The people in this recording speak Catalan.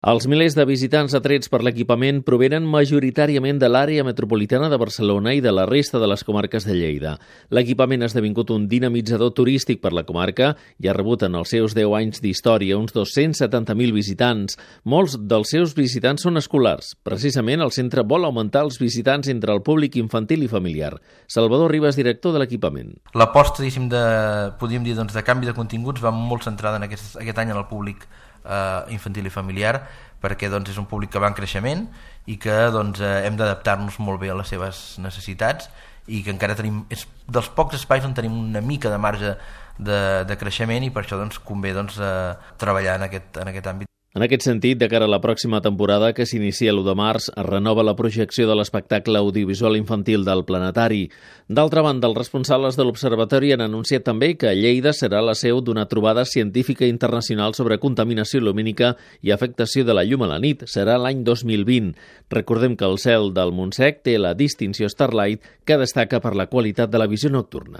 Els milers de visitants atrets per l'equipament provenen majoritàriament de l'àrea metropolitana de Barcelona i de la resta de les comarques de Lleida. L'equipament ha esdevingut un dinamitzador turístic per la comarca i ha rebut en els seus 10 anys d'història uns 270.000 visitants. Molts dels seus visitants són escolars. Precisament, el centre vol augmentar els visitants entre el públic infantil i familiar. Salvador Ribas, director de l'equipament. L'aposta, podríem dir, de canvi de continguts va molt centrada en aquest any en el públic infantil i familiar, perquè és un públic que va en creixement i que hem d'adaptar-nos molt bé a les seves necessitats i que encara tenim, és dels pocs espais on tenim una mica de marge de creixement i per això convé treballar en aquest àmbit. En aquest sentit, de cara a la pròxima temporada, que s'inicia l'1 de març, es renova la projecció de l'espectacle audiovisual infantil del Planetari. D'altra banda, els responsables de l'Observatori han anunciat també que Lleida serà la seu d'una trobada científica internacional sobre contaminació lumínica i afectació de la llum a la nit. Serà l'any 2020. Recordem que el cel del Montsec té la distinció Starlight, que destaca per la qualitat de la visió nocturna.